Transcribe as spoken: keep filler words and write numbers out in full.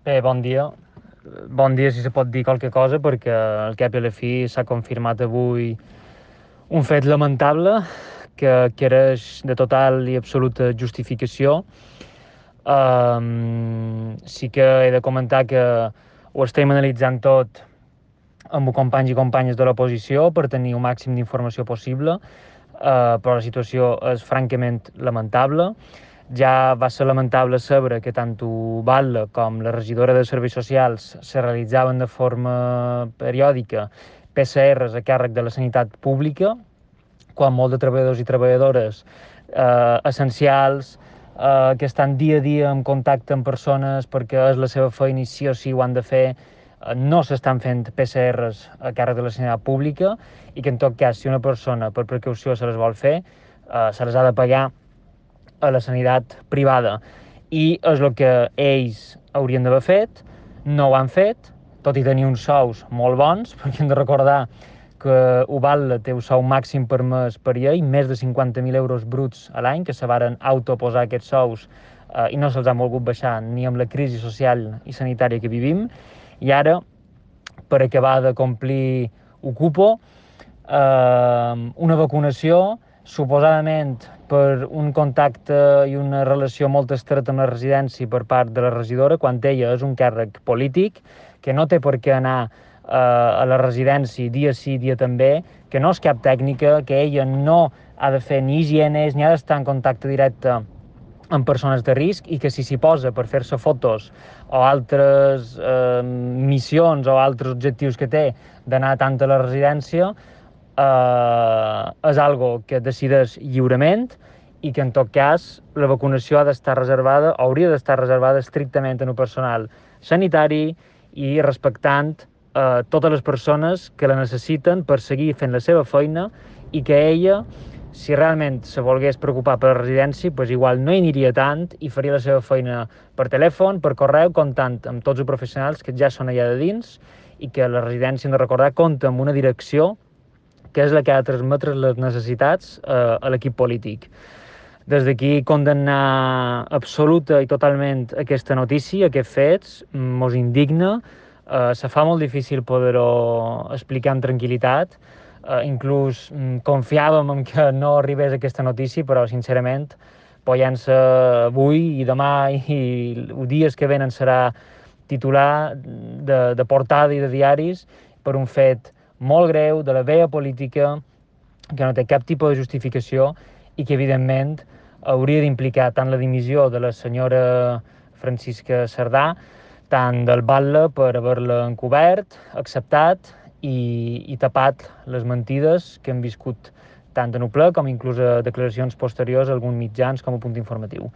Bé, bon dia. Bon dia, si se pot dir qualque cosa, perquè al cap i a la fi s'ha confirmat avui un fet lamentable que quereix de total i absoluta justificació. Um, sí que he de comentar que ho estem analitzant tot amb companys i companyes de l'oposició per tenir el màxim d'informació possible, uh, però la situació és francament lamentable. Ja va ser lamentable saber que tant Batlle com la regidora de Serveis Socials se realitzaven de forma periòdica P C Rs a càrrec de la sanitat pública, quan molts de treballadors i treballadores eh, essencials, eh, que estan dia a dia en contacte amb persones perquè és la seva feina i sí o sí ho han de fer, eh, no s'estan fent P C Rs a càrrec de la sanitat pública, i que en tot cas, si una persona per precaució se les vol fer, eh, se les ha de pagar a la sanitat privada. I és el que ells haurien d'haver fet, no ho han fet, tot i tenir uns sous molt bons, perquè hem de recordar que Ubalda té un sou màxim per mes per llei, més de cinquanta mil euros bruts a l'any, que se varen autoposar aquests sous eh, i no se'ls han volgut baixar ni amb la crisi social i sanitària que vivim. I ara, per acabar de complir Ocupo, eh, una vacunació, suposadament per un contacte i una relació molt estreta amb la residència per part de la regidora, quan ella és un càrrec polític, que no té per què anar eh, a la residència dia sí, dia també, que no és cap tècnica, que ella no ha de fer ni higienes, ni ha d'estar en contacte directe amb persones de risc, i que si s'hi posa per fer-se fotos o altres eh, missions o altres objectius que té d'anar tant a la residència, eh, és algo que decideix lliurement, i que en tot cas la vacunació ha d'estar reservada, o hauria d'estar reservada estrictament en un personal sanitari i respectant eh, totes les persones que la necessiten per seguir fent la seva feina, i que ella, si realment se volgués preocupar per la residència, pues igual no hi aniria tant i faria la seva feina per telèfon, per correu, comptant amb tots els professionals que ja són allà de dins, i que la residència, hem de recordar, compta amb una direcció que és la que ha de transmetre les necessitats eh, a l'equip polític. Des d'aquí condemnar absoluta i totalment aquesta notícia, aquests fets, mos indigna, eh, se fa molt difícil poder-ho explicar amb tranquil·litat, eh, inclús mm, confiàvem en que no arribés aquesta notícia, però sincerament, apoyant-se avui i demà i els dies que venen serà titular de, de portada i de diaris per un fet molt greu, de la vella política, que no té cap tipus de justificació i que, evidentment, hauria d'implicar tant la dimissió de la senyora Francisca Cerdà, tant del Batlle per haver-la encobert, acceptat i, i tapat les mentides que hem viscut tant en el ple com inclús a declaracions posteriors a alguns mitjans com a punt informatiu.